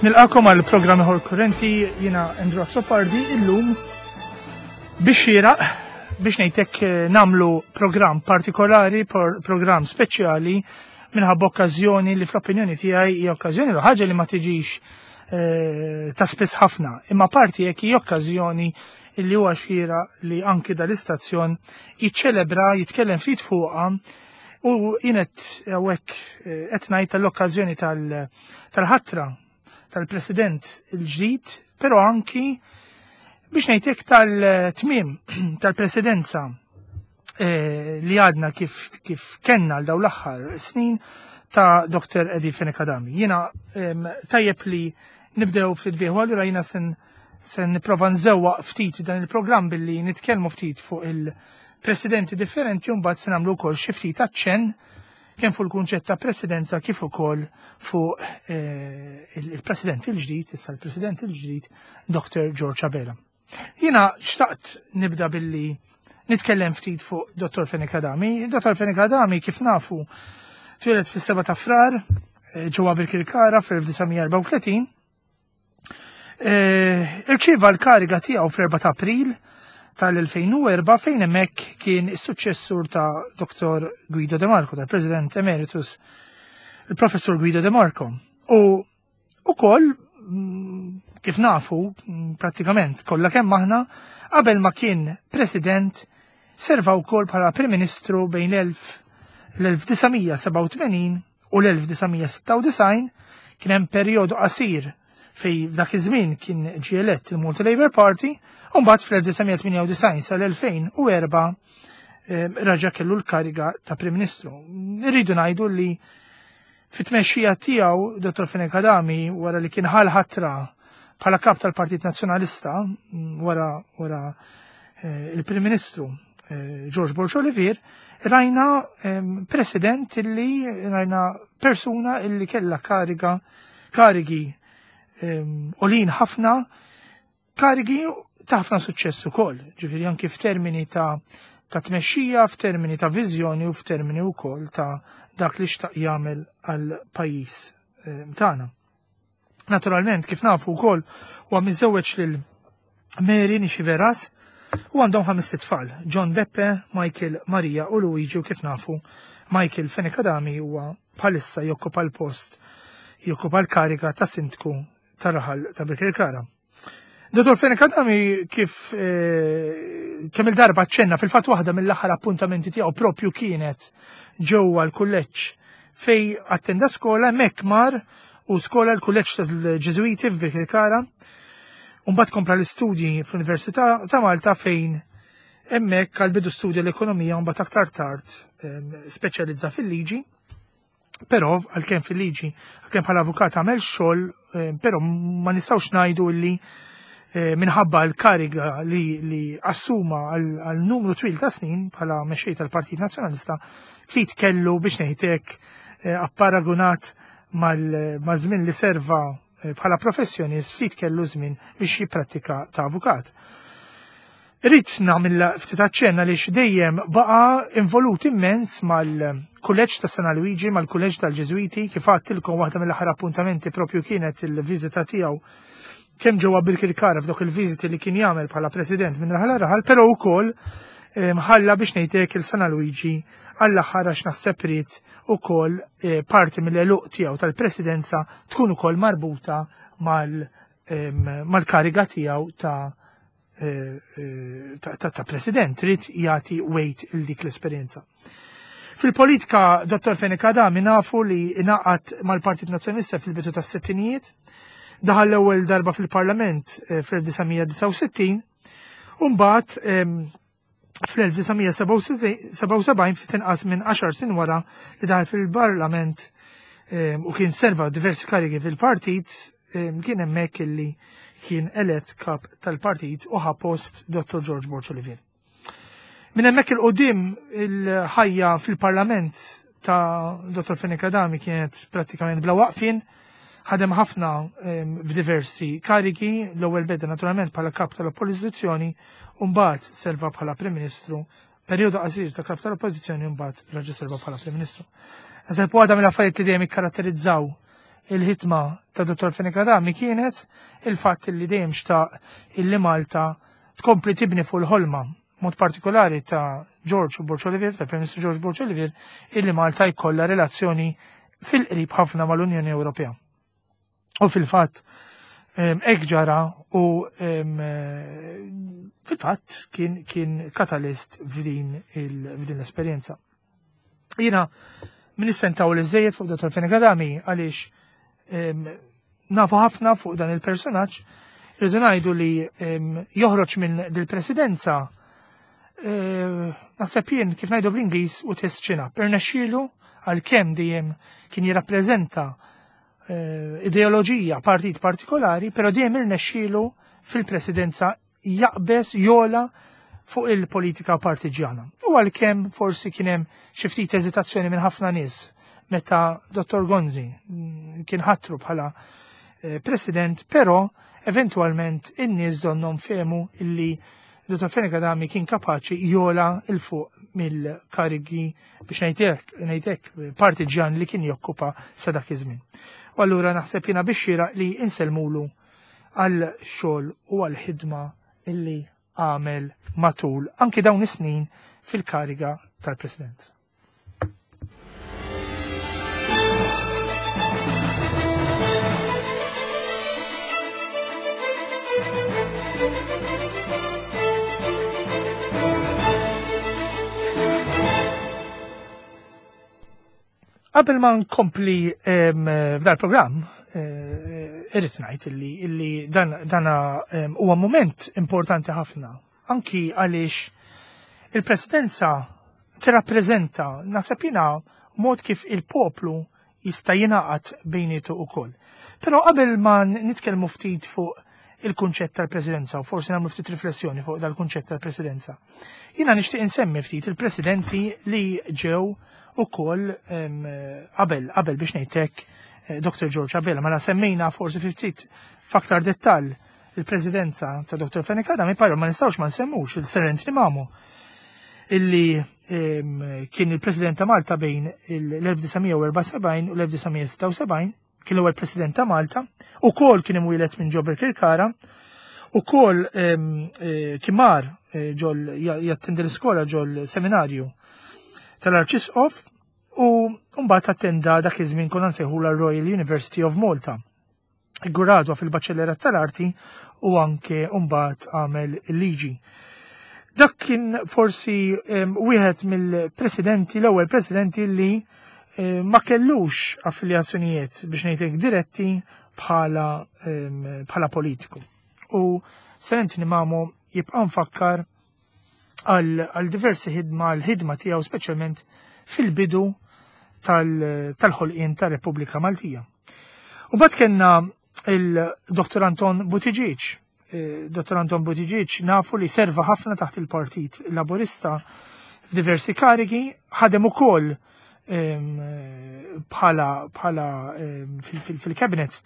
Nilqakom għal programm ieħor kurrenti jiena Andrew Azzopardi illum biex xieraq biex ngħidlek eh, namlu programm partikolari, programm speċjali minħabba okkażjoni li fl-opinjoni tiegħi hija okkażjoni li ħaġa li ma tiġix eh, ta' spiss ħafna, imma parti jekk hija okkażjoni li huwa xira li anki dal-istazzjon jiċċelebra, jitkellem ftit fuqha u jienet hawnhekk eh, qed ngħid tal-okkażjoni tal-ħatra tal-President il-ġdid, però anki biex ngħidlek tal-tmiem tal-presidenza eh, li għadna kif, kif kenna l daw l-aħħar snin ta' Dr. Eddie Fenekadami. Jiena tajjeb li nibdew ftit bieħu allura jiena sen se nipprova nżewwaq ftit dan il-programm billi nitkellmu ftit fuq il-presidenti differenti u mbagħad se nagħmlu wkoll xi ftit aċċenn kemm fuq il-kunċett ta' presidenza kif ukoll fuq eh, il-president il-ġdid, issa l-president il-ġdid, Dr. George Abela. Jiena xtaqt nibda billi nitkellem ftit fuq Dr. Fenek Adami. Dr. Fenek Adami kif nafu twieled fis-7 ta' Frar eh, ġewwa Birkirkara fl-1934 Eh, irċieva l-kariga tiegħu fl-4 ta' April tal-2004 fejn hemmhekk kien is-suċċessur ta' Dr. Guido De Marco, tal-President Emeritus il-Professur Guido De Marco. U ukoll mm, kif nafu mm, prattikament kollha kemm aħna qabel ma kien President serva wkoll bħala Prim Ministru bejn l-1987 u l-1996 kien hemm perjodu qasir fej f'dak iż-żmien kien ġie elett il-Malta Labour Party u mbagħad fl-1998 sal-2004 eh, raġa' kellu l-kariga ta' Prim Ministru. Irridu ngħidu li fit-tmexxija tiegħu Dr. Fenech Adami wara li kien ħal ħatra bħala kap tal-Partit Nazzjonalista mm, wara wara eh, il-Prim Ministru eh, George Borg Olivier, rajna ehm, president illi rajna persuna illi kella kariga karigi ehm, olin ħafna karigi ta' ħafna suċċess ukoll, ġifieri anki f'termini ta' ta' tmexxija, f'termini ta' viżjoni u f'termini wkoll ta' dak li xtaq jagħmel għal pajjiż ehm, tagħna. Naturalment, kif nafu wkoll huwa miżewweġ lil Mary Nixiveras u għandhom ħames tfal, John Beppe, Michael, Maria u Luigi u kif nafu Michael Fenech Adami huwa bħalissa jokkupa l-post jokkupa l-kariga ta' sindku tar-raħal ta' Birkirkara. Dottor Fenech Adami kif eh, kemm il-darba ċenna fil-fatt waħda mill-aħħar appuntamenti tiegħu propju kienet ġewwa l-kulleġġ fej attenda skola hemmhekk mar u skola l-kulleġġ tal-Ġiżwiti f'Birkirkara. U mbagħad kompla l-istudji fl-Università ta' Malta fejn hemmhekk għal bidu studja l-ekonomija u mbagħad aktar tard ehm, speċjalizza fil-liġi. Però għalkemm fil-liġi, għalkemm bħala avukat għamel xogħol, ehm, però ma nistgħux ngħidu li eh, minħabba l-kariga li, li assuma għal numru twil ta' snin bħala mexxej tal-Partit Nazzjonalista ftit kellu biex ngħidlek eh, apparagunat mal-żmien li serva eh, bħala professjonist ftit kellu żmien biex jipprattika ta' avukat. Irrid nagħmel ftit aċċenna li dejjem baqa' involut immens mal-kulleġġ ta' San Luigi, mal-kulleġġ tal-Ġeżwiti, kif għadtilkom waħda mill-aħħar appuntamenti propju kienet il-viżita tiegħu kemm ġewwa Birkirkara f'dawk il-viżiti li kien jagħmel bħala president minn raħal raħal, però wkoll eh, ħalla biex ngħidlek il-San Luigi għall-aħħar għax naħseb ried ukoll eh, parti mill-eluq tiegħu tal-presidenza tkun ukoll marbuta mal-kariga tiegħu ta' eh, eh, ta' president trid jagħti weight il dik l-esperjenza. Fil-politika, Dr. Fenech Adami nafu li ingħaqad mal-Partit Nazzjonalista fil-bidu tas-sittinijiet, daħal l-ewwel darba fil-Parlament eh, fl-1969, u mbagħad fl-1977 ftit inqas minn 10 sin wara li daħal fil-Parlament u kien serva diversi karigi fil-partit, kien hemmhekk illi kien elett kap tal-partit u ħa post Dr. George Borg Olivier. Minn hemmhekk il-qudiem il-ħajja fil-Parlament ta' Dr. Fenech Adami kienet prattikament bla waqfien, ħadem ħafna f'diversi karigi, l-ewwel beda naturalment bħala kap tal-Oppożizzjoni u mbagħad serva bħala Prim Ministru. Perjodu qasir ta' kap tal-Oppożizzjoni mbagħad raġa' serva bħala Prim Ministru. Naħseb waħda mill-affarijiet li dejjem ikkaratterizzaw il-ħidma ta' Dottor Fenech Adami kienet il-fatt li dejjem xtaq illi Malta tkompli tibni fuq il-ħolma mod partikolari ta' George Borg Olivier, ta' Prim Ministru George Borg Olivier, illi Malta jkollha relazzjoni fil-qrib ħafna mal-Unjoni Ewropea. U fil-fatt hekk ġara u fil-fatt kien, kien katalist f'din l-esperjenza. Jiena min istentaw li żejjed fuq Dr. Fenech Adami għaliex nafu ħafna fuq dan il-personaġġ, rridu ngħidu li joħroġ minn dil-presidenza naħseb jien kif ngħidu bl-Ingliż u test ċina. Irnexxielu għalkemm dejjem kien jirrappreżenta ideoloġija partit partikolari, però dejjem irnexxielu fil-presidenza jaqbeż jola fuq il-politika partiġjana. U għalkemm forsi kien hemm xi ftit eżitazzjoni minn ħafna nies meta Dr. Gonzi kien ħatru bħala president, però eventualment in-nies donnhom fehmu illi Dr. Fenech Adami kien kapaċi jola 'l fuq mill-karigi biex ngħidlek partiġjan li kien jokkupa sa dak iż-żmien. U allura naħseb jiena biex xieraq li insellmulu għal xogħol u għal ħidma illi għamel matul anki dawn is-snin fil-kariga tal-President. Qabel ma nkompli f'dal programm, irrid ngħid illi dan huwa moment importanti ħafna, anki għaliex il-presidenza tirrappreżenta naħseb jiena mod kif il-poplu jista' jingħaqad bejnietu ukoll. Però qabel ma nitkellmu ftit fuq il-kunċett tal-presidenza u forsi nagħmlu ftit riflessjoni fuq dal-kunċett tal-presidenza. Jiena nixtieq insemmi ftit il-presidenti li ġew ukoll qabel biex ngħidlek Dr. George Abela, mela semmejna forsi ftit f'aktar dettall il-presidenza ta' Dr. Fenech Adami, però ma nistgħux ma nsemmux il-Sir Anthony Mamo, illi kien il-president ta' Malta bejn l-1974 u l-1976, kien l-ewwel president ta' Malta, ukoll kien imwieled minn ġo Birkirkara, ukoll kien mar ġol jattendi l-iskola ġol seminarju tal-Arċisqof u mbagħad attenda dak iż-żmien konna nsejħula Royal University of Malta. Gradwa fil-Baċellerat tal-Arti u anke mbagħad għamel il-liġi. Dak kien forsi wieħed mill-presidenti, l-ewwel presidenti li ma kellux affiljazzjonijiet biex ngħidlek diretti bħala politiku. U Sir Anthony Mamo jibqa' mfakkar għal diversi ħidma, l-ħidma tiegħu speċjalment fil-bidu tal-ħolqien tar-Repubblika Maltija. U mbagħad kellna il-Dr. Anton Buttigieg. Dr. Anton Buttigieg nafu li serva ħafna taħt il-Partit Laburista f'diversi karigi, ħadem ukoll bħala fil-cabinet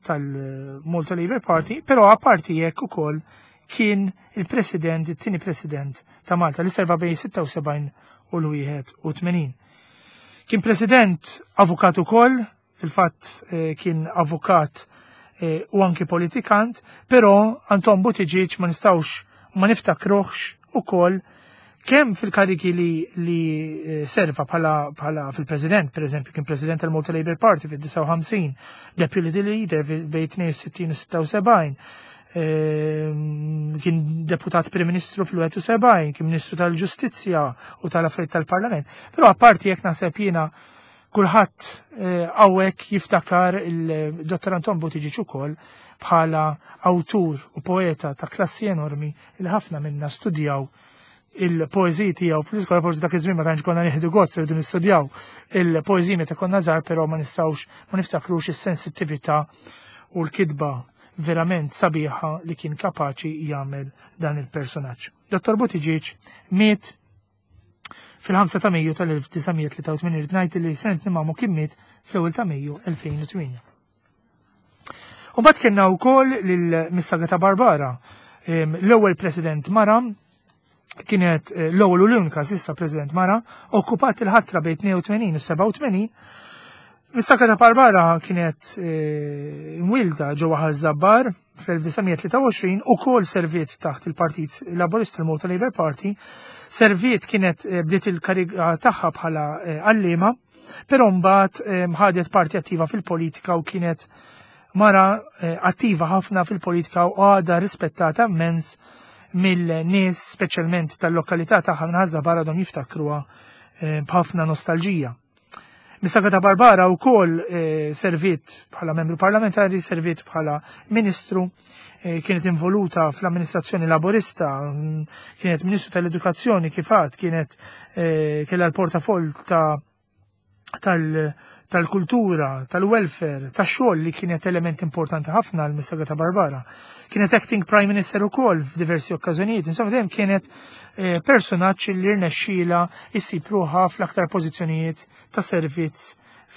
tal-Malta Labour Party, però apparti hekk ukoll kien il-president, it-tieni president ta' Malta li serva bejn 76 u l-81. Kien president avukat ukoll, fil-fatt kien avukat u anki politikant, però Anton Buttigieg ma nistgħux ma niftakruhx ukoll kemm fil-kariki li serva bħala fil-president, per eżempju, kien president tal-Malta Labour Party fil-59, deputy leader bejn 62 u 76, kien deputat Prim Ministru fil-71, kien Ministru tal-Ġustizzja u tal-Affarijiet tal-Parlament. Però apparti jekk naħseb jiena kulħadd hawnhekk jiftakar il-Dottor Anton Buttigieg ukoll bħala awtur u poeta ta' klassi enormi li ħafna minna studjaw il-poeżiji tiegħu fl-iskola, forsi dak iż-żmien ma tantx konna nieħdu gost irridu nistudjaw il-poeżiji meta konna żgħar, però ma nistgħux ma niftakrux is-sensittività u l-kitba verament sabiħa li kien kapaċi jagħmel dan il-personaġġ. Dottor Buttigieg miet fil-5 ta' Mejju tal-1983, irid ngħid li Sir Anthony Mamo kien miet fl-ewwel ta' Mejju 2008. U mbagħad kellna wkoll lil Miss Agata Barbara, l-ewwel President mara Kienet l-ewwel u l-unika s'issa President mara, okkupat il-ħatra bejn 82 u 87. Mistaka ta' Barbara kienet mwilda ġewwa Ħaż-Żabbar fl-1923 u kol serviet taħt il-Partit Laburista, il-Malta Labour Party. Serviet kienet bdiet il-kariga tagħha bħala għalliema, però mbagħad ħadet parti attiva fil-politika u kienet mara attiva ħafna fil-politika u għadha rispettata immens mill-nies, speċjalment tal-lokalità tagħha minn Ħaż-Żabbar, għadhom jiftakruha b'ħafna nostalġija. Mistaka ta' Barbara u kol servit bħala membru parlamentari, servit bħala ministru, kienet involuta fl-amministrazzjoni laborista, kienet ministru tal-edukazzjoni kifat, kienet kella l-portafoll tal-kultura, tal-welfare, tax-xogħol li kienet element importanti ħafna għal Mistaka ta' Barbara. Kienet acting prime minister ukoll f'diversi okkażjonijiet, insomma dejjem kienet personaġġ li rnexxiela issib ruħha fl-aktar pożizzjonijiet ta' servizz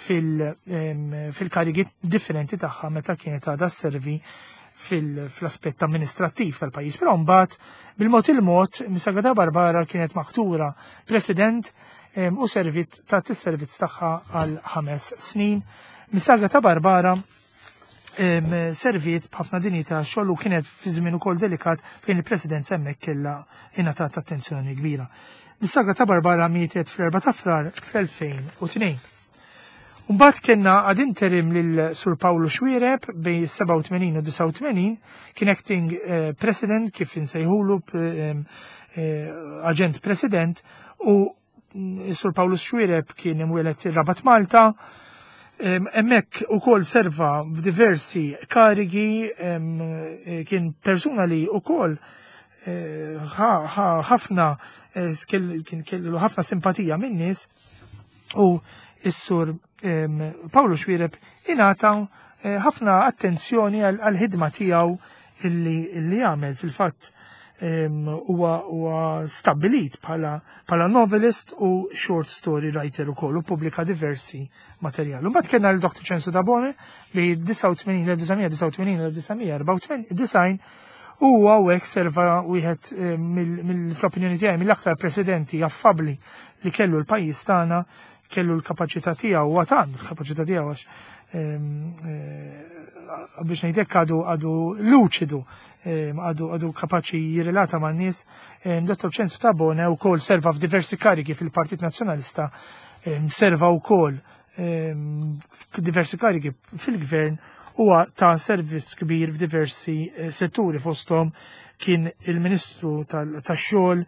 fil-karigi differenti tagħha meta kienet għadha servi fl-aspett amministrattiv tal-pajjiż. Però mbagħad bil-mod il-mod Mistaka ta' Barbara kienet maħtura president u servit ta' tis-servizz tagħha għal 5 snin. Mistaka ta' Barbara serviet b'ħafna dinjità xogħol u kienet fi żmien ukoll delikat fejn il-President hemmhekk kellha ingħatat attenzjoni kbira. Mistaka ta' Barbara mietet fl-4 ta' Frar fl-2002. Mbagħad kellna ad interim lil Sur Pawlu Xuereb bejn 87 u 89, kien acting president kif insejħulu, aġent president, u Sur Pawlu Xuereb kien imwieled ir-Rabat Malta. Hemmhekk ukoll serva f'diversi karigi, kien persuna li ukoll ħafna kien kellu ħafna simpatija min-nies, u s-Sur Pawlu Xuereb ingħata ħafna attenzjoni għal-ħidma tiegħu illi jagħmel. Fil-fatt huwa stabbilit bħala novelist u short story writer ukoll u pubblika diversi materjal. Mbagħad kellna l Dr. Ċensu Tabone li 1989, 1994 u hawnhekk serva wieħed mill-opinjoni tiegħi mill-aktar presidenti affabbli li kellu l-pajjiż tagħna, kellu l-kapaċità tiegħu u għad għandu l-kapaċità tiegħu għax biex ngħidlek għadu luċidu, għadu kapaċi jirrelata man-nies. Dr. Ċensu Tabone wkoll serva f'diversi karigi fil-Partit Nazzjonalista, serva wkoll f'diversi karigi fil-gvern, huwa ta' servizz kbir f'diversi setturi, fosthom kien il-Ministru tax-xogħol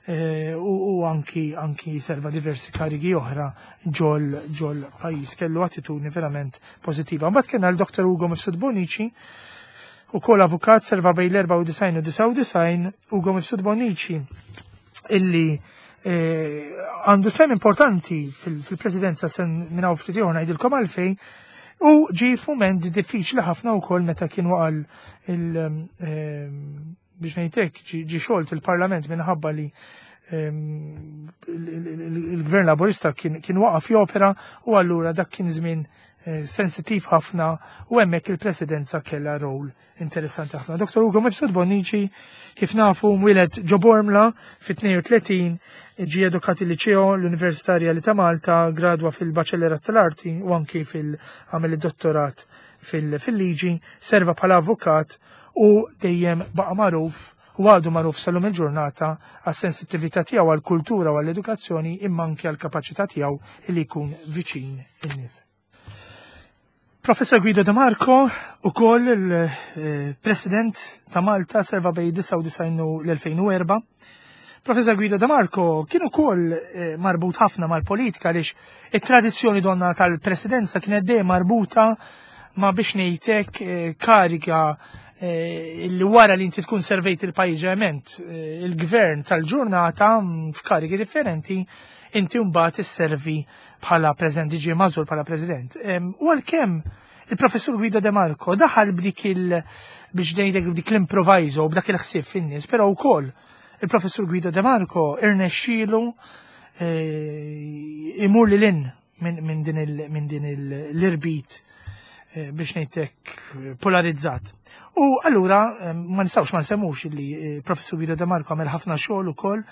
u anki serva diversi karigi oħra ġol pajjiż. Kellu attitudni verament pożittiva. Mbagħad kellna l-Dr. Ugo Mifsud Bonnici, ukoll avukat, serva bejn l-94 u 99. Ugo Mifsud Bonnici illi għandu sem importanti fil-presidenza, sen minn hawn ftit ieħor ngħidilkom għalfejn, u ġi f'mument diffiċli ħafna wkoll meta kien waqal il biex ngħidlek ġi xolt il-Parlament minħabba li il-Gvern Laburista kien waqaf jopera, u allura dak kien żmien sensittiv ħafna u hemmhekk il-presidenza kellha rol interessanti ħafna. Dr. Ugo Mifsud Bonnici, kif nafu, mwieled ġo Bormla fit-32, ġie edukat il-Liċeo, l-Università Rjali ta' Malta, gradwa fil-Baċellerat tal-Arti u anki fil-għamel id-dottorat fil-liġi, serva bħala avukat u dejjem baqa' magħruf u għadu magħruf sal-lum il-ġurnata għas-sensittività tiegħu għall-kultura u għall-edukazzjoni, imma anke għall-kapaċità tiegħu li jkun viċin in-nies. Professor Guido De Marco, ukoll il-President ta' Malta, serva bejn 99 u l-2004. Professor Guido De Marco kien ukoll marbut ħafna mal-politika għaliex it-tradizzjoni donna tal-presidenza kienet dejjem marbuta ma' biex ngħidlek kariga li wara li inti tkun servejt il-pajjiż ġeneralment, il-gvern tal-ġurnata f'karigi differenti, inti mbagħad isservi bħala president, ġie magħżul bħala president. U għalkemm il-professur Guido De Marco daħal b'dik il biex ngħidlek b'dik l-improviso, b'dak il-ħsieb fin-nies, però wkoll il-professur Guido De Marco irnexxielu imur lil hinn minn din l-irbit. eh, biex ngħidlek polarizzat. U allura eh, ma nistgħux ma nsemmux li eh, Professur Guido De Marco għamel ħafna xogħol ukoll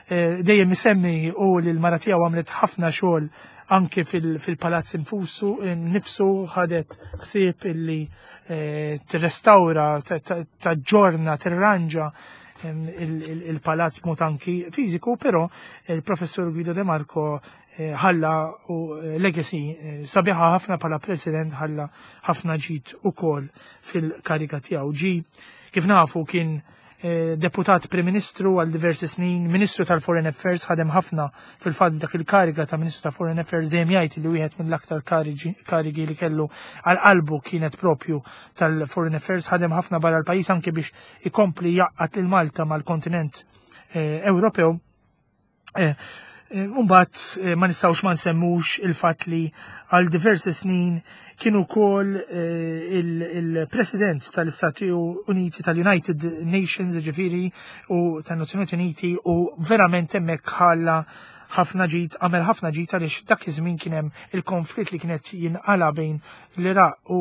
dejjem isemmi u li l-mara tiegħu għamlet ħafna xogħol anke fil-palazz infusu nifsu ħadet ħsieb illi tirrestawra, taġġorna, tirranġa il-palazz mod anki fiżiku, però il-professur Guido De Marco eh, ħalla u eh, legacy eh, sabiħa ħafna bħala president ħalla ħafna ġid ukoll fil-kariga tiegħu. Ġi kif nafu kien deputat Prim Ministru għal diversi snin, Ministru tal-Foreign Affairs ħadem ħafna fil-fatt dak il-kariga ta' Ministru ta' Foreign Affairs dejjem jgħid li wieħed mill-aktar karigi li kellu għal qalbu kienet propju tal-Foreign Affairs ħadem ħafna barra l-pajjiż anke biex ikompli jaqqat lil Malta mal-kontinent Ewropew. Umbat ma nistawx ma nsemmux il-fat li għal diversi snin kienu kol il-president tal-Istati Uniti tal-United Nations ġifiri u tan-Nazzjonijiet Uniti u verament hemmhekk ħalla ħafna ġid, għamel ħafna ġid għaliex dak iż-żmien kien hemm il-konflitt li kienet jinqala bejn l-Iraq u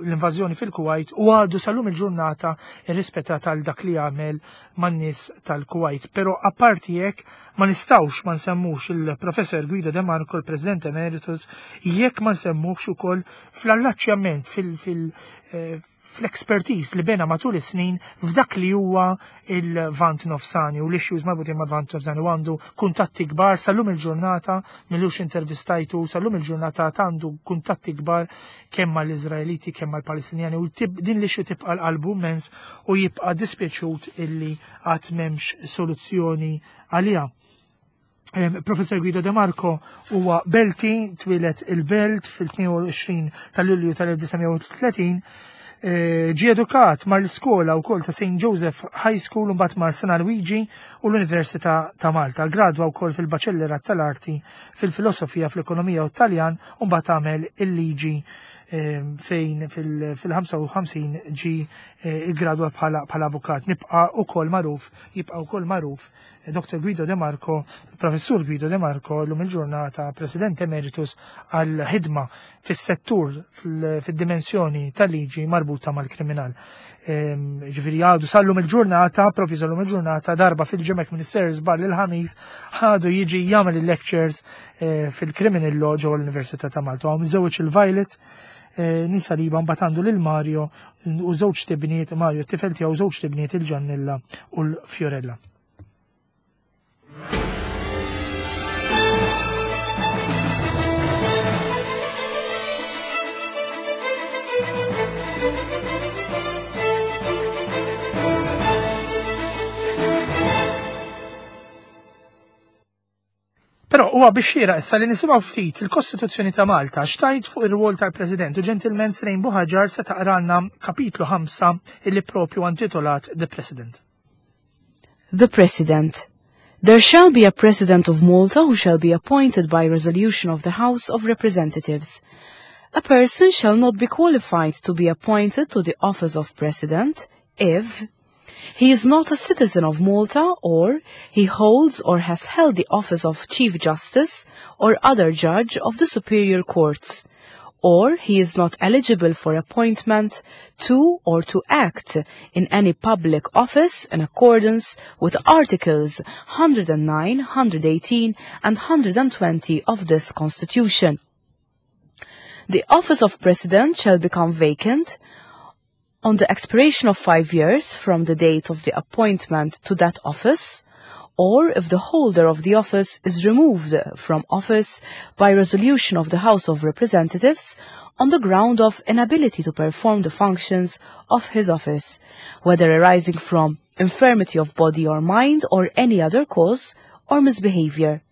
l-invażjoni fil-Kuwait u għadu sal-lum il-ġurnata irrispettat għal dak li għamel man-nies tal-Kuwait. Però apparti hekk ma nistgħux ma nsemmux il-Professor Guido De Marco, il-President Emeritus, jekk ma nsemmux ukoll fl-allaċċjament fil-, fil eh, fl-expertise li bena matul is-snin f'dak li huwa il-Vant Nofsani u l-issues marbutin ma' Vant Nofsani u għandu kuntatti kbar sal-lum il-ġurnata millux intervistajtu sal-lum il-ġurnata għandu kuntatti kbar kemm mal-Iżraeliti kemm mal-Palestinjani u din l-issue tibqa' l-qalbu mens u jibqa' dispjaċut illi għad m'hemmx soluzzjoni għaliha. Professor Guido De Marco huwa Belti, twieled il-Belt fil-22 ta' Lulju tal-1930, eh, ġie edukat mar l-iskola wkoll ta' St. Joseph High School u mbagħad mar San Luigi u l-Università ta' Malta. Gradwa wkoll fil-Baċellerat tal-Arti fil-Filosofija fl-Ekonomija u Taljan u mbagħad għamel il-liġi fejn fil-55 ġi eh, gradwa bħala avukat. Nibqa' ukoll magħruf, jibqa' wkoll magħruf Dr. Guido De Marco, Professur Guido De Marco, l-lum il-ġurnata President Emeritus għal ħidma fis-settur fid-dimensjoni tal-liġi marbuta mal-kriminal. Ehm, ġifieri għadu sallum il-ġurnata, propju sallum il-ġurnata, darba fil-ġemek Minister żball il-ħamis, ħadu jiġi jagħmel il-lectures eh, fil-criminal law ġewwa l-Università ta' Malta. Għaw miżewġ il-Violet, eh, nisa li mbagħad għandu lil Mario u żewġ tibniet Mario t-tifel tiegħu żewġ tibniet il-Ġannilla u l-Fiorella. Però huwa biex xieraq issa li nisimgħu ftit il-Kostituzzjoni ta' Malta x'tajt fuq ir-rwol tal-President u ġentilment Srejn Buħaġar se taqralna kapitlu 5 illi propju intitolat The President. The President. There shall be a President of Malta who shall be appointed by resolution of the House of Representatives. A person shall not be qualified to be appointed to the office of President if he is not a citizen of Malta or he holds or has held the office of Chief Justice or other judge of the superior courts, or he is not eligible for appointment to or to act in any public office in accordance with Articles 109, 118 and 120 of this Constitution. The office of President shall become vacant on the expiration of 5 years from the date of the appointment to that office, or if the holder of the office is removed from office by resolution of the House of Representatives on the ground of inability to perform the functions of his office, whether arising from infirmity of body or mind or any other cause or misbehavior.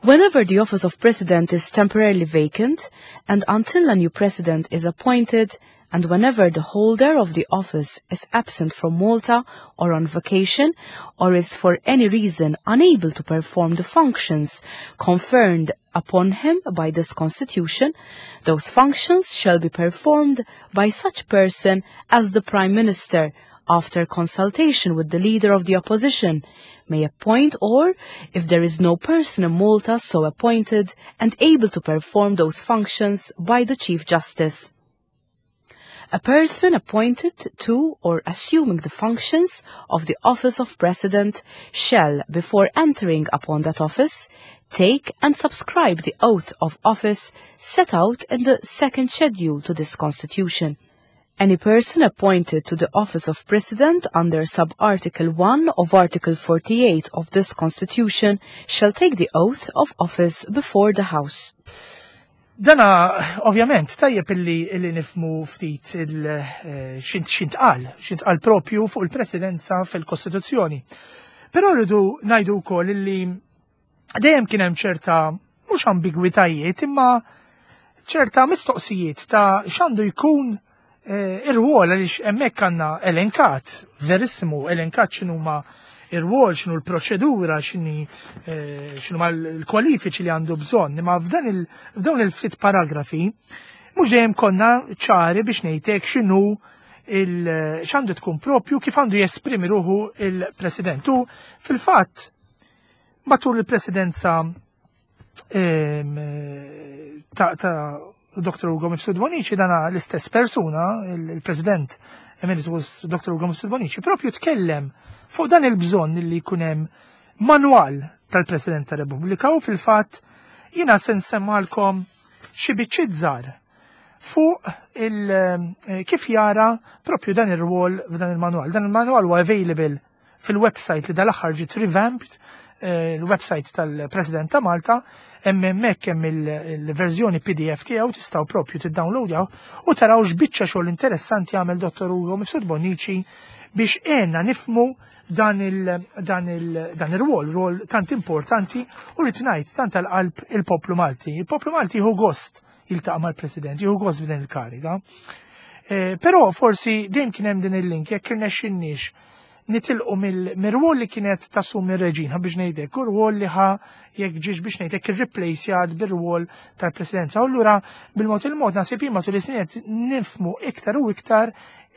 Whenever the office of president is temporarily vacant and until a new president is appointed, and whenever the holder of the office is absent from Malta or on vacation or is for any reason unable to perform the functions conferred upon him by this constitution, those functions shall be performed by such person as the Prime Minister after consultation with the leader of the opposition, may appoint or, if there is no person in Malta so appointed and able to perform those functions by the Chief Justice. A person appointed to or assuming the functions of the office of President shall, before entering upon that office, take and subscribe the oath of office set out in the second schedule to this Constitution. Any person appointed to the office of President under sub-article 1 of Article 48 of this Constitution shall take the oath of office before the House. Dana, ovvjament, tajjeb illi, illi nifmu ftit eh, xintqal, xintqal propju fuq il-presidenza fil-Kostituzzjoni. Però rridu ngħidu wkoll illi dejjem kien hemm ċerta mhux ambigwitajiet imma ċerta mistoqsijiet ta' x'għandu jkun eh, ir-rwol għaliex hemmhekk għandna elenkat, verissimu elenkat x'inhuma ir-rwol, x'inhu l-proċedura, x'inhi eh, x'inhuma l-kwalifiċi li għandu bżonn, imma f'dan il f'dawn il-ftit paragrafi mhux dejjem konna ċari biex ngħidlek x'inhu x'għandu tkun propju kif għandu jesprimi ruħu il-President. U fil-fatt matul il-presidenza ta' Dr. Ugo Mifsud Bonici dana l-istess persuna, il-President Emeritus Dr. Ugo Mifsud Bonici, propju tkellem fuq dan il-bżonn li jkun hemm manwal tal-President ta' Repubblika u fil-fatt jiena se nsemmalkom xi biċċiet żgħar fuq il eh, kif jara propju dan ir-rwol f'dan il-manwal. Dan il-manwal huwa available fil-website li dal-aħħar ġiet revamped, eh, il-website tal-President ta' Malta, hemm hemmhekk hemm il-verżjoni PDF tiegħu tistgħu propju tiddownloadjaw u taraw x'biċċa xogħol interessanti għamel Dr. Ugo Mifsud Bonnici biex għenna nifmu dan il-rwol, rwol tant importanti u rrid ngħid tant tal-qalb il-poplu Malti. Il-poplu Malti jieħu gost jiltaqa' mal-President, jieħu gost b'din il-kariga. Eh, però forsi dejjem kien hemm din il-link jekk irnexxinniex nitilqu mill-rwol li kienet tassumi r-reġina biex ngħidlek, u rwol li ħa jekk ġiex biex ngħidlek irreplace bir-rwol tal-presidenza. U allura bil-mod il-mod naħseb jien matul is-snin qed nifmu iktar u iktar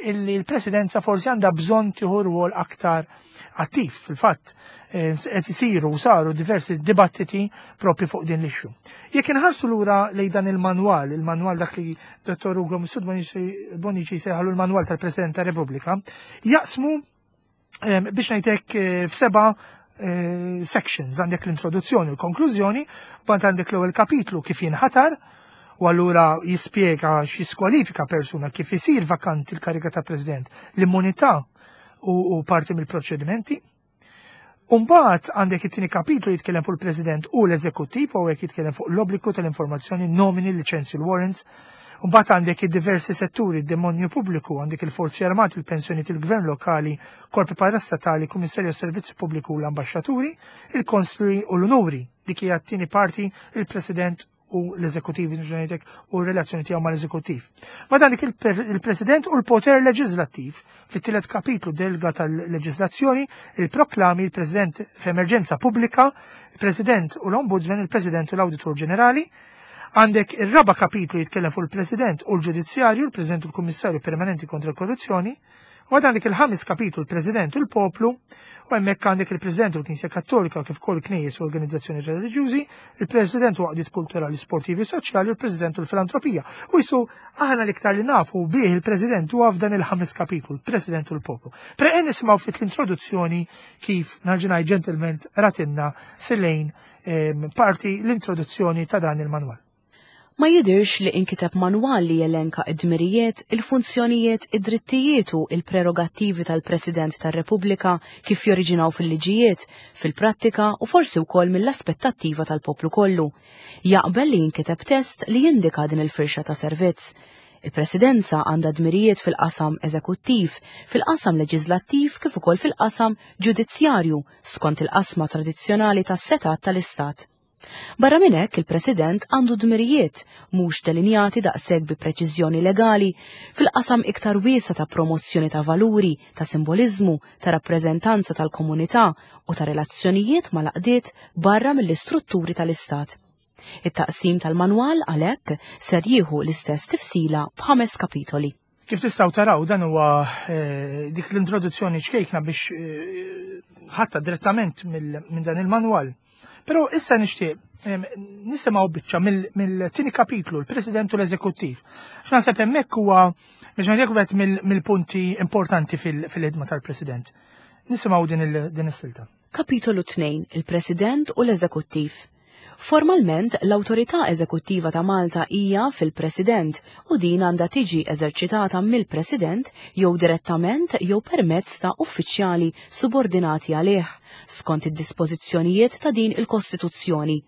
illi l-presidenza forsi għandha bżonn tieħu rwol aktar attiv. Fil-fatt, eh, qed isiru u saru diversi dibattiti propju fuq din l-issue. Jekk inħarsu lura lejn dan il-manwal, il-manwal dak li Dottor Ugo Mifsud Bonnici sejħalu l-manwal tal-President ta' Repubblika, jaqsmu eh, biex ngħidlek eh, f'seba' sections għandek l-introduzzjoni u l-konklużjoni, bant għandek l-ewwel kapitlu kif jinħatar, u allura jispjega x'jiskwalifika persuna kif isir vakanti l-kariga ta' President, l-immunità u, u parti mill-proċedimenti. Umbagħad għandek it-tieni kapitlu jitkellem fuq il-President u l-Eżekuttiv u hekk jitkellem fuq l-obbligu tal-informazzjoni, nomini, liċenzji, l-warrants. Umbagħad għandek id-diversi setturi, id-demonju pubbliku, għandek il-forzi armati, il-pensjoni il-gvern lokali, korpi parastatali, kummissarju servizzi pubbliku u l-ambaxxaturi, il-konsli u l-onuri. Dik hija t-tieni parti il-President u l-eżekutiv ngħidlek u r-relazzjoni tiegħu mal-eżekutiv. Ma dan dik il-President u l-poter leġislattiv fit-tielet kapitlu delga tal-leġislazzjoni, il-proklami il-President f'emerġenza pubblika, il-President u l-Ombudsman, il-President u l-Awditur Ġenerali, Għandek ir-raba kapitlu jitkellem fuq il-President u l-Ġudizzjarju, il-President u l-Kummissarju Permanenti kontra l-Korruzzjoni, U għandek il-ħames kapitlu l-President u l-Poplu, u hemmhekk għandek il-President u l-Knisja Kattolika kif ukoll knejjes u organizzazzjoni reliġjużi, il-President u għaqdiet kulturali, sportivi u soċjali u l-President u l-filantropija. U jisu aħna l-iktar li nafu bih il-President huwa f'dan il-ħames kapitlu, il-President u l-Poplu. Pre nisimgħu ftit l-introduzzjoni kif narġinaj ġentilment ratinna silejn ehm, parti l-introduzzjoni ta' dan il-manwal. Ma jidhirx li inkiteb manwal li jelenka d-dmirijiet, il-funzjonijiet, id-drittijiet u l-prerogattivi tal-President tar-Repubblika kif joriġinaw fil-liġijiet, fil-prattika u forsi wkoll mill-aspettattiva tal-poplu kollu. Jaqbel li jinkiteb test li jindika din il-firxa ta' servizz. Il-Presidenza għandha dmirijiet fil-qasam eżekuttiv, fil-qasam leġiżlattiv kif ukoll fil-qasam ġudizzjarju skont il-qasma tradizzjonali tas-setgħat tal-Istat. Barra minn hekk, il-President għandu dmirijiet, mhux delinjati daqshekk bi preċiżjoni legali, fil-qasam iktar wiesa' ta' promozzjoni ta' valuri, ta' simboliżmu, ta' rappreżentanza tal-komunità u ta' relazzjonijiet mal-għaqdiet barra mill-istrutturi tal-Istat. It-taqsim tal-manwal għalhekk ser jieħu l-istess tifsila b'ħames kapitoli. Kif tistgħu taraw dan huwa eh, dik l-introduzzjoni ċkejkna biex eh, ħatta direttament minn dan il-manwal. Però issa nixtieq nisimgħu biċċa mill-tieni kapitlu, l-President u l-Eżekuttiv. X'naħseb hemmhekk huwa biex ngħidlek wieħed mill-punti importanti fil-ħidma tal-President. Nisimgħu din is-silta. Kapitolu 2, il-President u l-Eżekuttiv. Formalment, l-awtorità eżekuttiva ta' Malta hija fil-President u din għandha tiġi eżerċitata mill-President jew direttament jew permezz ta' uffiċjali subordinati għalih, skont id-dispożizzjonijiet ta' din il-Kostituzzjoni.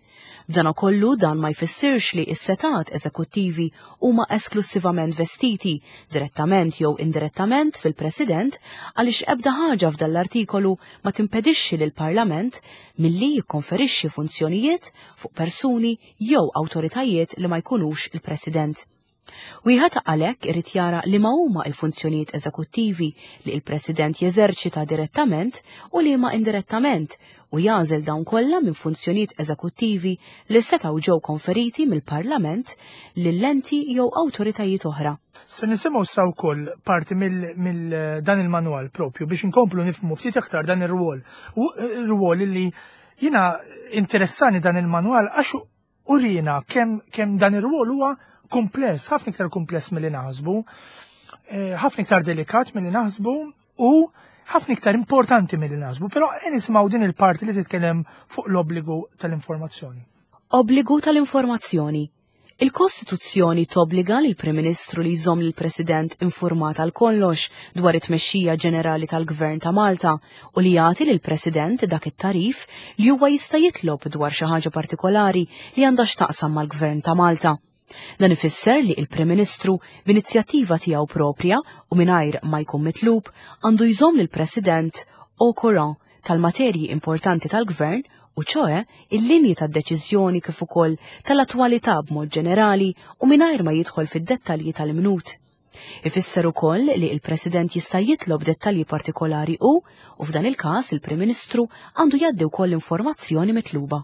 B'danakollu dan ma jfissirx li s-setgħat eżekuttivi huma esklussivament vestiti, direttament jew indirettament, fil-President għaliex ebda ħaġa f'dan l-artikolu ma timpedixxi lill-Parlament milli jikkonferixxi funzjonijiet fuq persuni jew awtoritajiet li ma jkunux il-President. Wieħed għalhekk irid jara liema huma l-funzjonijiet eżekuttivi li l-President jeżerċita direttament u liema indirettament u jagħżel dawn kollha minn funzjonijiet eżekuttivi li setgħu ġew konferiti mill-Parlament lil enti jew awtoritajiet oħra. Se nisimgħu sa wkoll parti mill dan il-manwal propju biex inkomplu nifhmu ftit aktar dan ir-rwol. Ir-rwol li jiena interessani dan il-manwal għax Urina kemm kemm dan ir-rwol huwa kumpless, ħafna iktar kumpless milli naħsbu, eh, ħafna iktar delikat milli naħsbu u ħafna iktar importanti milli naħsbu, però nisimgħu din il-parti li titkellem fuq l-obbligu tal-informazzjoni. Obbligu tal-informazzjoni. Il-Kostituzzjoni tobbliga lill-Prim Ministru li jżomm lill-President infurmat għal kollox dwar it-tmexxija ġenerali tal-Gvern ta' Malta u li jagħti lill-President dak it-tagħrif li huwa jista' jitlob dwar xi ħaġa partikolari li għandha x'taqsam mal-Gvern ta' Malta. Dan ifisser li il-Prim Ministru b'inizjattiva tiegħu proprja u mingħajr ma jkun mitlub għandu jżomm lill-President au courant tal-materji importanti tal-Gvern u ċoe il-linji tad-deċiżjoni kif ukoll tal-attwalità b'mod ġenerali u mingħajr ma jidħol fid-dettalji tal-imnut. Ifisser ukoll li l-President jista' jitlob dettalji partikolari u, u f'dan il-każ il-Prim Ministru għandu jgħaddi wkoll l-informazzjoni mitluba.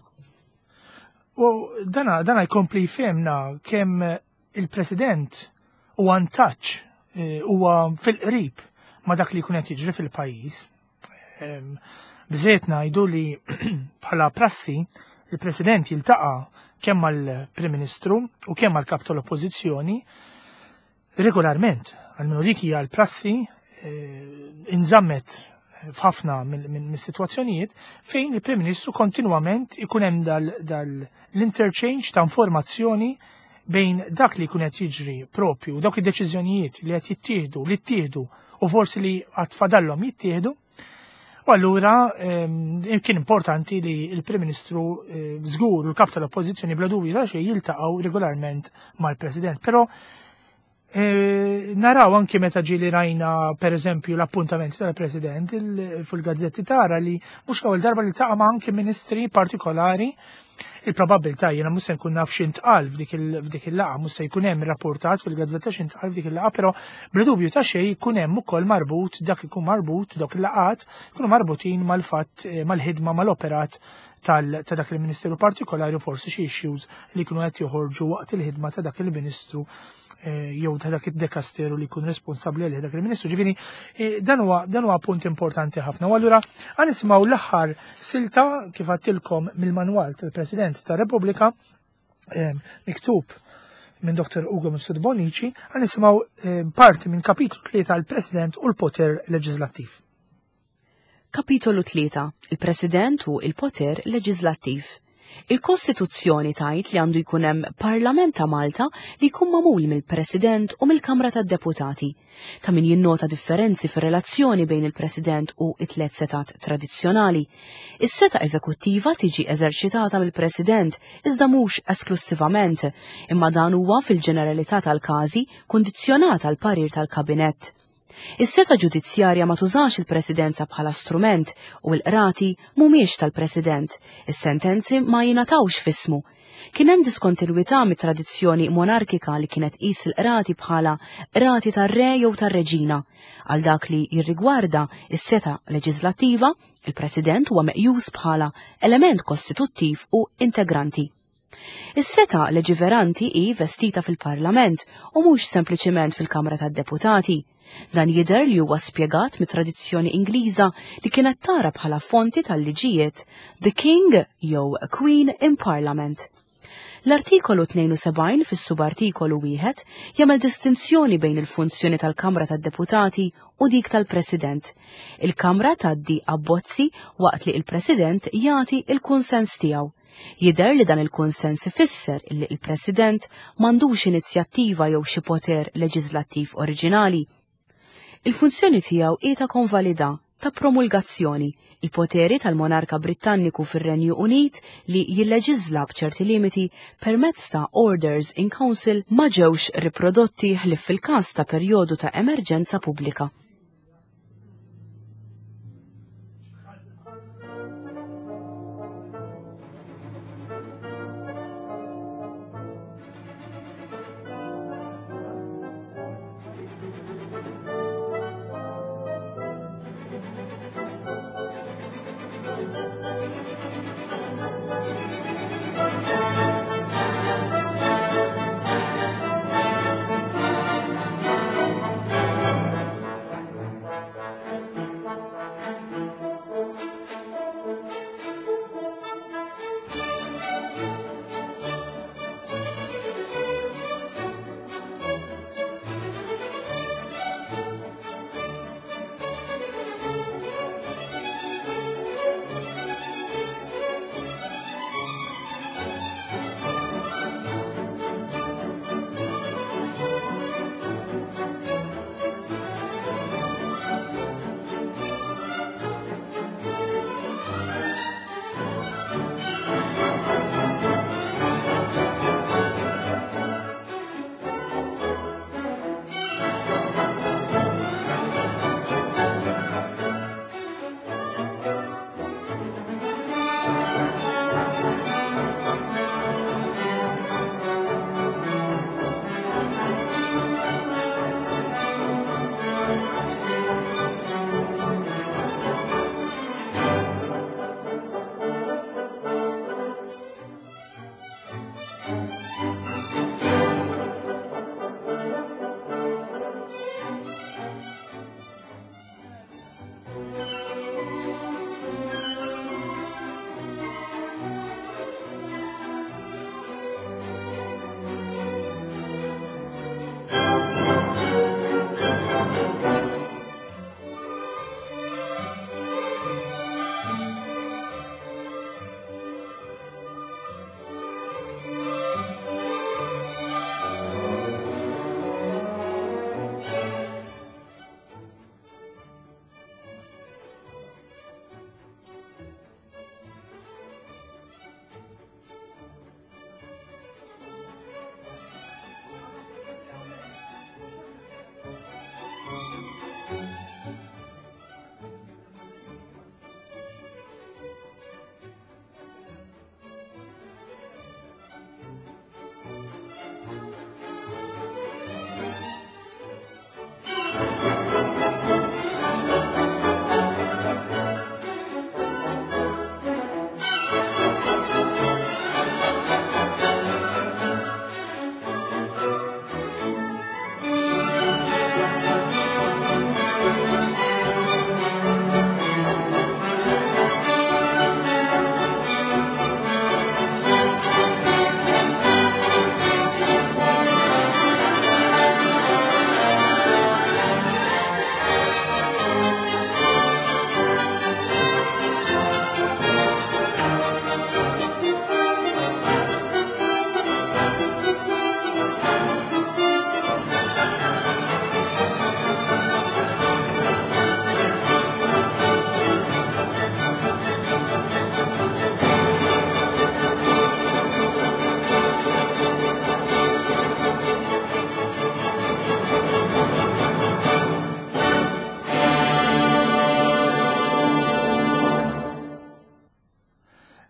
U dana, dana jkompli jfehmna kemm il-President huwa in touch, eh, huwa fil-qrib ma' dak li jkun qed jiġri fil-pajjiż. Bżejt ngħidu li bħala prassi il-President jiltaqa' kemm mal-Prim Ministru u kemm mal-Kap tal-Oppożizzjoni regolarment. Għalmenu dik hija l-prassi eh, inżammet f'ħafna mis-sitwazzjonijiet fejn il-Prim Ministru kontinwament ikun hemm dal-interchange ta' informazzjoni bejn dak li jkun qed jiġri propju, dawk id-deċiżjonijiet li qed jittieħdu, li ttieħdu u forsi li għad fadallhom jittieħdu. U allura ehm, kien importanti li l-Prim Ministru eh, żgur u l-kap tal-Oppożizzjoni bla dubju ta' xejn jiltaqgħu regolarment mal-President. Però eh, naraw anki meta ġieli rajna per eżempju l-appuntamenti tal-President fil-gazzetti tara li mhux l-ewwel darba li taqa' ma' anki ministri partikolari Il-probabbiltà jiena mhux se nkun naf x'intqal f'dik il-laqgħa, mhux se jkun hemm rapportat fil-gazzetta x'intqal f'dik il-laqgħa, però bla dubju ta' xejn jkun hemm ukoll marbut dak ikun marbut dawk il-laqgħat ikunu marbutin mal-fatt eh, mal-ħidma mal-operat ta' dak il-ministeru partikolari u forsi xi issues li jkunu qed joħorġu waqt il-ħidma ta' dak il-ministru Eh, jew ta' dak id-dekasteru li jkun responsabbli għalih dak il-Ministru. Ġifieri eh, dan huwa dan huwa punt importanti ħafna. U allura nisimgħu l-aħħar silta kif għattilkom mill-manwal tal-President tar-Repubblika eh, miktub minn Dr. Ugo Mifsud Bonici, għan nisimgħu parti minn kapitlu 3 tal-President u l-poter leġislattiv. Kapitolu 3, Il-President u il-poter leġiżlattiv. Il-Kostituzzjoni tgħid li għandu jkun hemm Parlament ta' Malta li jkun magħmul mill-President u mill-Kamra tad-Deputati. Ta' min jinnota differenzi fir-relazzjoni bejn il-President u it-tliet setgħat tradizzjonali. Is-setgħa eżekuttiva tiġi eżerċitata mill-President iżda mhux esklussivament, imma dan huwa fil-ġeneralità tal-każi kundizzjonat għall-parir tal-Kabinett. Is-setgħa ġudizzjarja ma tużax il-Presidenza bħala strument u l-qrati mhumiex tal-President, is-sentenzi ma jingħatawx f'ismu. Kien hemm diskontinwità mit-tradizzjoni monarkika li kienet tqis il-qrati bħala qrati tar-re jew tar-reġina. Għal dak li jirrigwarda is-setgħa leġiżlattiva, il-President huwa meqjus bħala element kostituttiv u integranti. Is-setgħa leġiveranti hi vestita fil-Parlament u mhux sempliċiment fil-Kamra tad-Deputati. Dan jidher li huwa spjegat mit-tradizzjoni Ingliża li kienet tara bħala fonti tal-liġijiet the King jew Queen in Parliament. L-Artikolu 72 fis-subartikolu wieħed jagħmel distinzjoni bejn il-funzjoni tal-Kamra tad-Deputati u dik tal-President. Il-Kamra tgħaddi abbozzi waqt li il-President jagħti il-kunsens tiegħu. Jidher li dan il-kunsens ifisser illi il-President m'għandux inizjattiva jew xi poter leġislattiv oriġinali. Il-funzjoni tiegħu hi ta' konvalida, ta' promulgazzjoni, il-poteri tal-monarka Brittanniku fir-Renju Unit li jilleġiżla b'ċerti limiti permezz ta' Orders in Council ma ġewx riprodotti ħlief fil-każ ta' perjodu ta' emerġenza pubblika.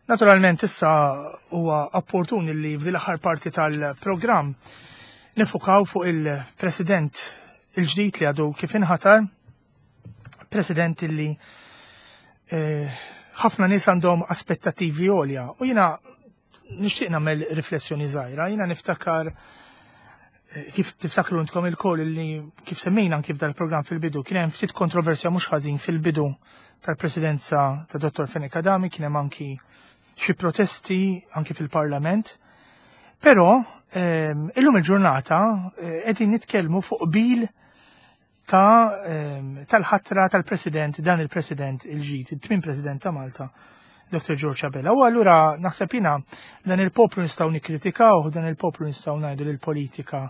Naturalment issa huwa opportun li f'din l-aħħar parti tal-programm nifukaw fuq il-President il-ġdid li għadu kif inħatar, President li eh, ħafna nies għandhom aspettativi għolja u jiena Nixtieq nagħmel riflessjoni żgħira. Jiena niftakar eh, kif tiftakru intkom il-koll li kif semmejna anki f'dal-programm fil-bidu kien hemm ftit kontroversja mhux ħażin fil-bidu tal-presidenza ta' Dr. Fenech Adami kien hemm anki xi protesti anki fil-Parlament. Però ehm, illum il-ġurnata eh, qegħdin nitkellmu fuq bil ta' ehm, tal-ħatra tal-President, dan il-President il-ġid, it-tmien President ta' Malta, Dr. George Abela. U allura naħseb jina dan il-poplu nistgħu nikkritikaw, dan il-poplu nistgħu ngħidu li l-politika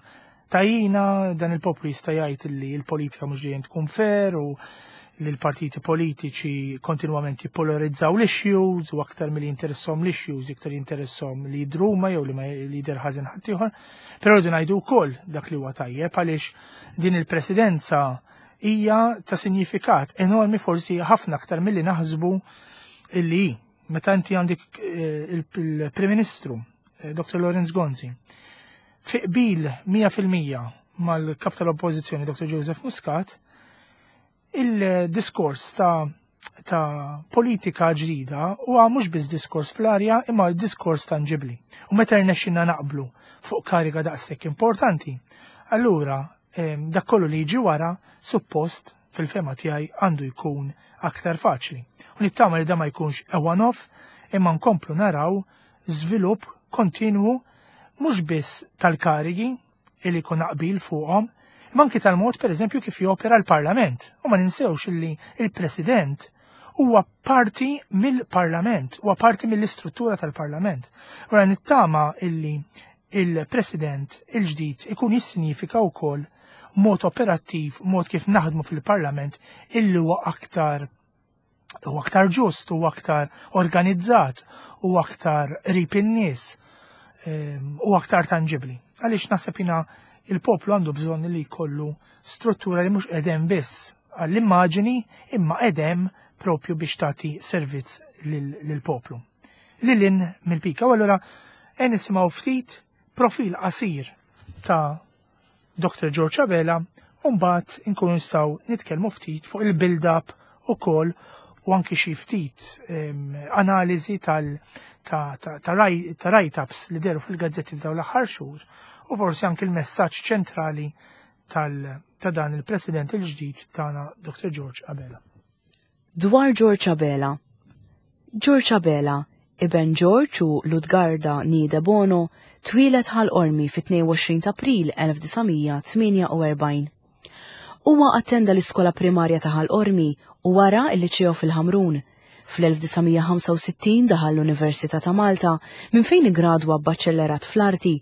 tajina, dan il-poplu jista' jgħid li l-politika mhux dejjem tkun fair u li l-partiti politiċi kontinwament jippolarizzaw l-issues u aktar milli jinteressom l-issues iktar jinteressom li jidruma jew li ma jidher ħażin ħaddieħor. Però rridu ngħidu wkoll dak li huwa tajjeb għaliex din il-presidenza hija ta' sinjifikat enormi forsi ħafna aktar milli naħsbu illi meta inti għandek eh, il-Prim Ministru eh, Dr. Lawrence Gonzi fi qbil 100% mal-kap tal-Oppożizzjoni Dr. Joseph Muscat il-diskors ta' ta' politika ġdida huwa mhux biss diskors fl-arja imma diskors tanġibli. U meta rnexxinna naqblu fuq kariga daqshekk importanti, allura dak kollu li jiġi wara suppost fil-fema tiegħi għandu jkun aktar faċli. U nittama li da ma jkunx a one-off imma nkomplu naraw żvilupp kontinwu mhux biss tal-karigi li jkun qbil fuqhom, imma anki tal-mod pereżempju kif jopera l-Parlament. U ma ninsewx illi il-President huwa parti mill-Parlament, huwa parti mill-istruttura tal-Parlament. Wara nittama illi il-President il-ġdid ikun jissinifika wkoll mod operattiv, mod kif naħdmu fil-Parlament illi huwa aktar u aktar ġust, u aktar organizzat, u aktar qrib in-nies, ehm, u aktar tangibli. Għaliex naħseb jina il-poplu għandu bżonn li jkollu struttura li mhux qedem biss għall-immaġini imma qedem propju biex tagħti servizz lill-poplu. Lilin mill-pika. U allura nisimgħu ftit profil qasir ta' Dr. George Abela u mbagħad inkunu nistgħu nitkellmu ftit fuq il-build-up ukoll u anki xi ftit analiżi tal ta' ta' write-ups li deru fil-gazzetti f'dawn l-aħħar xhur u forsi anki l-messaġġ ċentrali tal ta' dan il-President il-ġdid tagħna Dr. George Abela. Dwar George Abela George Abela, iben George u Ludgarda nee Debono, twieled Ħal Qormi fit-22 ta' April 1948. Huwa attenda l-iskola primarja ta' Ħal Qormi u wara l-liċeo fil-Ħamrun. Fl-1965 daħal l-Università ta' Malta minn fejn iggradwa b'baċellerat fl-arti.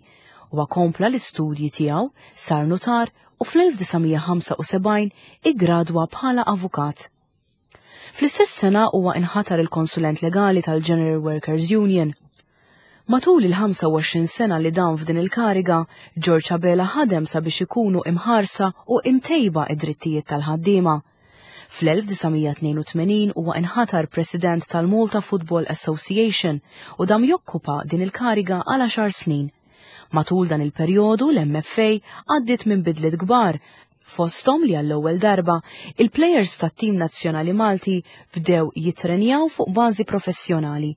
Huwa kompla l-istudji tiegħu, sar nutar u fl-1975 iggradwa bħala avukat. Fl-istess sena huwa inħatar il-konsulent legali tal-General Workers Union. Matul il-25 sena li dam f'din il-kariga, George Abela ħadem sabiex ikunu imħarsa u imtejba id-drittijiet tal-ħaddiema. Fl-1982 huwa inħatar President tal-Malta Football Association u dam jokkupa din il-kariga għal għaxar snin. Matul dan il-perjodu l-MFA għaddiet minn bidliet kbar, fosthom li għall-ewwel darba il-plejers tat-tim nazzjonali Malti bdew jittrenjaw fuq bażi professjonali.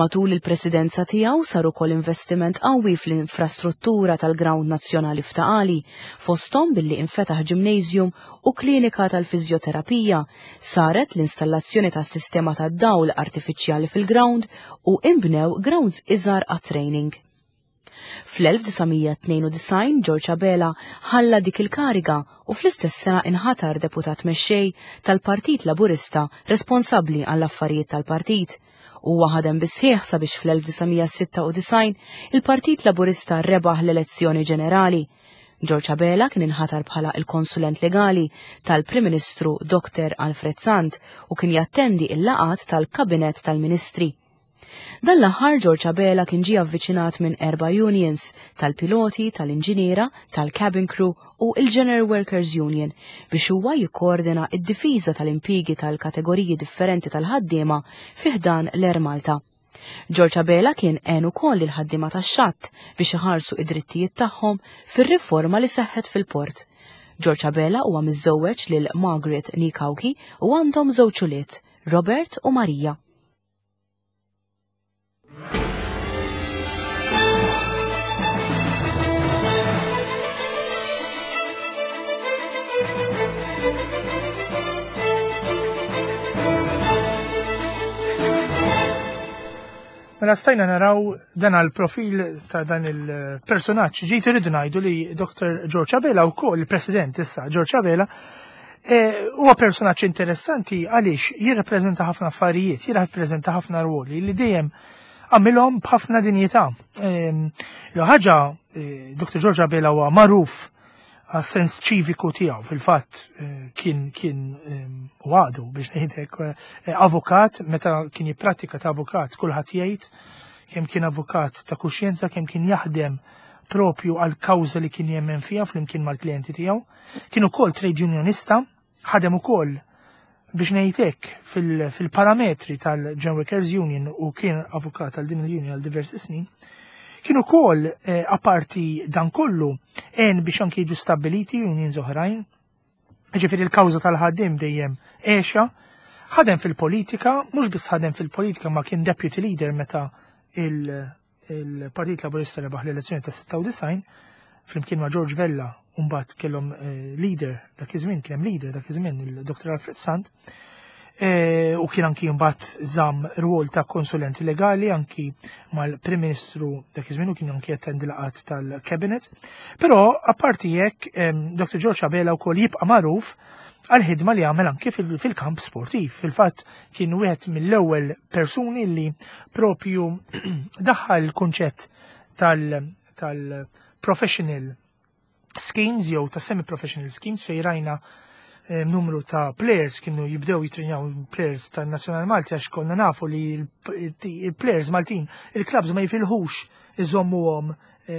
Matul il-presidenza tiegħu sar ukoll investiment qawwi fl-infrastruttura tal-Grawnd Nazzjonali f'Ta' Qali, fosthom billi infetaħ gymnasium u klinika tal-fiżjoterapija, saret l-installazzjoni tas-sistema tad-dawl artifiċjali fil-grawnd u inbnew grounds iżgħar għat-training. Fl-1992 George Abela ħalla dik il-kariga u fl-istess sena inħatar deputat mexxej tal-Partit Laburista responsabbli għall-affarijiet tal-partit. Huwa ħadem bis-sħiħ sabiex fl-1996 il-Partit Laburista rebaħ l-elezzjoni ġenerali. George Abela kien inħatar bħala il-konsulent legali tal-Prim Ministru Dr. Alfred Sant u kien jattendi il-laqgħat tal-Kabinett tal-Ministri. Dan l-aħħar George Abela kien ġie avviċinat minn erba' unions, tal-piloti, tal-inġiniera, tal-cabin crew u il-General Workers Union biex huwa jikkoordina id-difiża tal-impjiegi tal-kategoriji differenti tal-ħaddiema fi ħdan l-Air Malta. George Abela kien għen ukoll il-ħaddiema tax-xatt biex iħarsu id-drittijiet tagħhom fir-riforma li seħħet fil-port. George Abela huwa miżżewweġ lil Margaret Nikauki u għandhom żewġ ulied, Robert u Marija. Mela stajna naraw dan għal profil ta' dan il-personaġġ. Ġiet irridu ngħidu li Dr. George Abela wkoll il-President issa George Abela huwa personaġġ interessanti għaliex jirrappreżenta ħafna affarijiet, jirrappreżenta ħafna rwoli li dejjem għamilhom b'ħafna dinjità. L ħaġa Dr. George Abela huwa magħruf għas-sens ċiviku tiegħu. Fil-fatt kien u għadu, biex ngħidlek, avukat. Meta kien jipprattika ta' avukat, kulħadd jgħid kemm kien avukat ta' kuxjenza, kemm kien jaħdem propju għal kawża li kien jemmen fiha flimkien mal-klijenti tiegħu. Kien ukoll trade unionista, ħadem ukoll, biex ngħidlek, fil-parametri tal-General Workers Union u kien avukat għal din il-union għal diversi snin. Kien ukoll aparti dan kollu en biex anki jiġu stabiliti unions oħrajn. Ġifieri il-kawża tal-ħaddim dejjem għexha, ħadem fil-politika, mhux biss ħadem fil-politika, ma kien deputy leader meta il-Partit Laburista rebaħ l-elezzjoni ta' 96 flimkien ma' George Vella u mbagħad kellhom leader dak iż-żmien, kien hemm leader dak iż-żmien, il-Dr. Alfred Sant. U kien anki mbagħad żamm rwol ta' konsulenti legali anki mal-Prim Ministru dak iż-żmien u kien anki attendi laqgħat tal-Cabinet. Però apparti hekk, Dr. George Abela wkoll jibqa' magħruf għal-ħidma li għamel anki fil-kamp sportiv. Fil-fatt kien wieħed mill-ewwel persuni li propju daħħal il-kunċett tal-professional schemes jew ta' semi-professional schemes, fej rajna numru ta' players kienu jibdew jitrenjaw, players tan-Nazzjonal Malti, għax konna nafu li il-players Maltin il-clubs ma jifilħux iżommuhom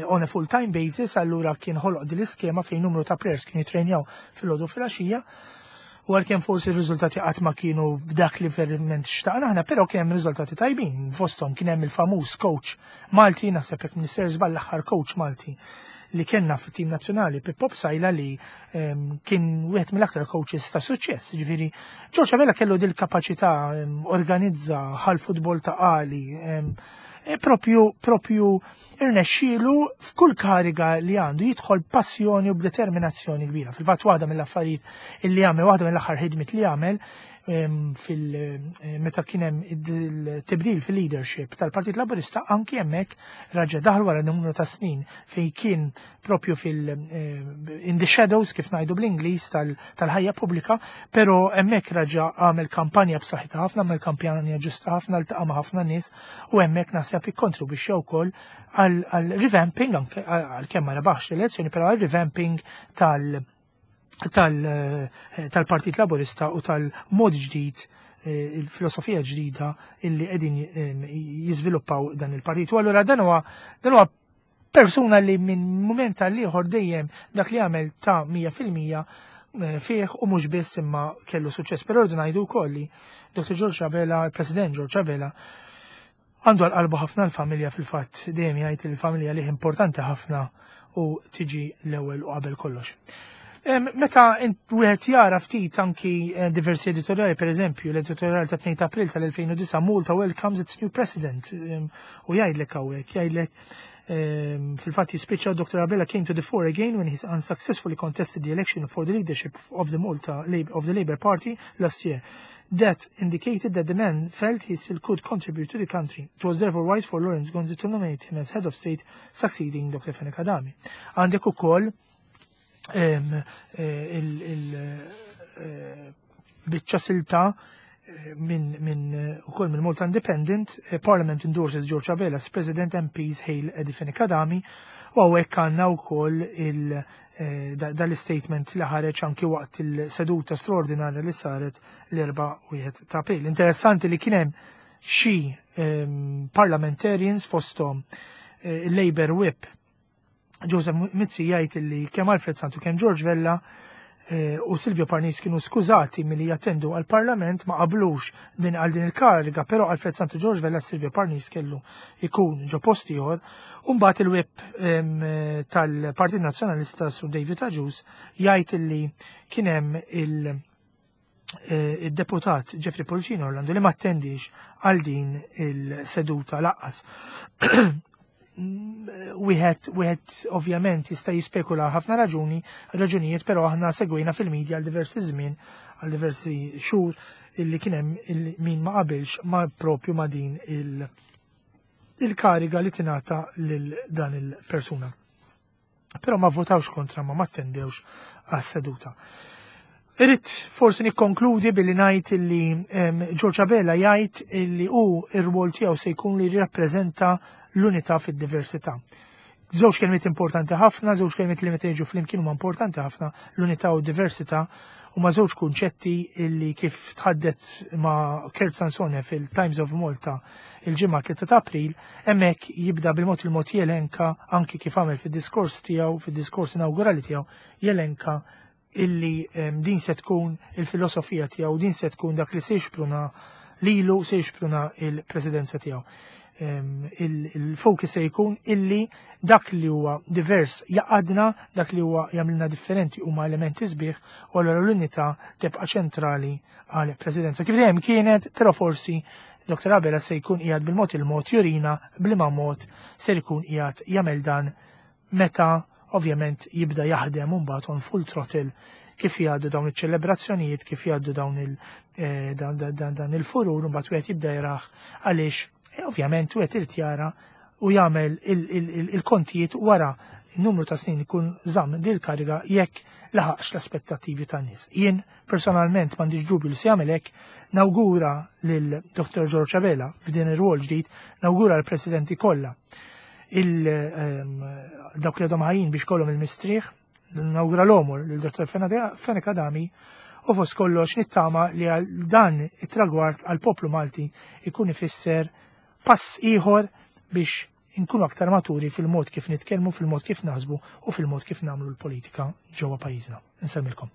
on a full-time basis. Allura kien ħoloq din l-iskema fejn numru ta' players kienu jitrenjaw fil-għodu, fil-għaxija, u għalkemm forsi r-riżultati qatt ma kienu b'dak li verament xtaqna aħna, però kien hemm riżultati tajbin. Fosthom kien hemm il-famuż coach Malti, naħseb, jekk m'iniex żball, l-aħħar coach Malti li kellna fit-tim nazzjonali, Pippo Psaila, li kien wieħed mill-aktar coaches ta' suċċess. Ġifieri George Abela kellu dil kapaċità organizza ħal futbol Ta' Qali, propju irnexxielu f'kull kariga li għandu jidħol passjoni u b'determinazzjoni kbira. Fil-fatt waħda mill-affarijiet illi għamel, waħda mill-aħħar ħidmiet li għamel meta kien hemm il-tibdil fil-leadership tal-Partit Laburista, anki hemmhekk raġa daħal wara numru ta' snin fejn kien propju in the shadows, kif ngħidu bl-Ingliż, tal-ħajja pubblika, però hemmhekk raġa għamel kampanja b'saħħitha ħafna, għamel kampanja ġusta ħafna, ltaqa' ma' ħafna nies u hemmhekk naħseb ikkontribwixxa wkoll għal revamping, anke għalkemm ma rebaħx l-elezzjoni, però għal revamping tal-Partit Laburista u tal-mod ġdid, il-filosofija ġdida illi qegħdin jiżviluppaw dan il-partit. U allura dan huwa persuna li minn moment għal ieħor dejjem dak li għamel ta' 100% fih u mhux biss imma kellu suċċess. Però rridu ngħidu wkoll li Dr. George Abela, il-President George Abela, għandu għal qalbu ħafna l-familja. Fil-fatt dejjem jgħid il-familja li importanti ħafna u tiġi l-ewwel u qabel kollox. Meta wieħed jara ftit anki diversi editoriali, per eżempju, l-editorial ta' 2 April tal-2009, "Malta welcomes its new president", u jgħidlek hawnhekk, jgħidlek fil-fatt jispiċċa, "Dr. Abela came to the fore again when he unsuccessfully contested the election for the leadership of the Malta of the Labour Party last year. That indicated that the man felt he still could contribute to the country. It was therefore wise for Lawrence Gonzi to nominate him as head of state, succeeding Dr. Fenech Adami." Għandek ukoll il-biċċa silta minn ukoll minn Malta Independent, "Parliament endorses George Abela as President, MPs hail Eddie Fenech Adami", u hawnhekk għandna wkoll dal-statement li ħareġ anki waqt il-seduta straordinarja li saret l-4 ta' April. Interessanti li kien hemm xi parliamentarians, fosthom il-Labour Whip Joseph Mizzi, jgħid li kemm Alfred Sant u kemm George Vella u Silvio Parnis kienu skużati milli jattendu għal-Parlament, ma qablux din għal din il-kariga, però Alfred Sant u George Vella, Silvio Parnis kellu ikun ġo post ieħor. U mbagħad il-whip tal-Partit Nazzjonalista, Sur David Agius, jgħid li kien hemm il-deputat Jeffrey Pullicino Orlando li ma attendix għal din il-seduta lanqas. Wieħed ovvjament jista' jispekula ħafna raġunijiet, però aħna segwejna fil-medja għal diversi żmien, għal diversi xhur, illi kien hemm min ma qabilx ma propju ma din il- il-kariga li tingħata lil dan il-persuna. Però ma votawx kontra ma attendewx għas-seduta. Irrid forsi nikkonkludi billi ngħid illi George Abela jgħid illi hu ir-rwol tiegħu se jkun li jirrappreżenta l-unità fid-diversità. Żewġ kelmiet importanti ħafna, żewġ kelmiet li meta jiġu flimkien huma importanti ħafna, l-unità u d-diversità huma żewġ kunċetti illi kif tħaddet ma' Kurt Sansone fil-Times of Malta il-ġimgħa 3 ta' April, hemmhekk jibda bil-mod il-mod jelenka anki kif għamel fid-diskors tiegħu, fid-diskors inawgurali tiegħu, jelenka illi din se tkun il-filosofija tiegħu, din se tkun dak li se jixpruna lilu, se jixpruna il-presidenza tiegħu. Il-focus se jkun illi dak li huwa divers jaqadna, dak li huwa jagħmilna differenti huma elementi sbieħ, u allura l-unità tibqa' ċentrali għal presidenza. Kif dejjem kienet, però forsi Dr. Abela se jkun qiegħed bil-mod il-mod jurina b'liema mod se jkun qiegħed jagħmel dan meta ovvjament jibda jaħdem mbagħad on full throttle kif jgħaddu dawn iċ-ċelebrazzjonijiet, kif jgħaddu dawn il eh, dan, dan, dan il-furur, mbagħad wieħed jibda jraħ għaliex eh, ovvjament wieħed irid jara u jagħmel il-kontijiet wara numru ta' snin ikun żamm din il-kariga jekk laħaqx l-aspettattivi tan-nies. Jien personalment m'għandix dubju li se jagħmel hekk, nawgura lil Dr. George Abela f'din ir-rwol ġdid, nawgura l-presidenti kollha ehm, dawk li għadhom ħajjin biex kollhom il-mistrieħ, nawgura l-omor lil Dr. Fenech Adami u fost kollox nittama li għal dan it-tragward għal poplu Malti ikun ifisser pass ieħor biex inkunu aktar maturi fil-mod kif nitkellmu, fil-mod kif naħsbu u fil-mod kif nagħmlu l-politika ġewwa pajjiżna. Insemmilkom.